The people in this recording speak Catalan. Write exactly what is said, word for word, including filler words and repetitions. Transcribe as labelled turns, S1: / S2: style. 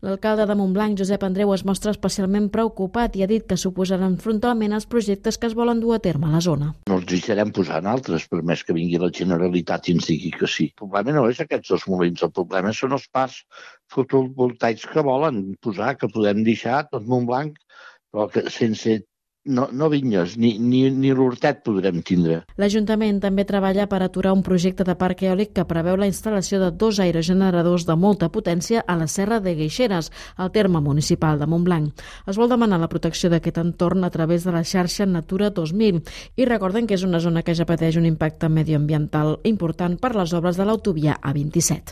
S1: L'alcalde de Montblanc, Josep Andreu, es mostra especialment preocupat i ha dit que s'oposaran frontalment als projectes que es volen dur a terme a la zona.
S2: No els deixarem posar en altres, per més que vingui la Generalitat i ens digui que sí. El problema no és aquests dos molins, el problema són els parcs fotovoltaics que volen posar, que podem deixar tot Montblanc, però que sense no, no vinyes ni, ni, ni l'hortet podrem tindre.
S1: L'Ajuntament també treballa per aturar un projecte de parc eòlic que preveu la instal·lació de dos aerogeneradors de molta potència a la Serra de Guixeres, al terme municipal de Montblanc. Es vol demanar la protecció d'aquest entorn a través de la xarxa Natura dos mil i recorden que és una zona que ja pateix un impacte medioambiental important per les obres de l'autovia A vint-i-set.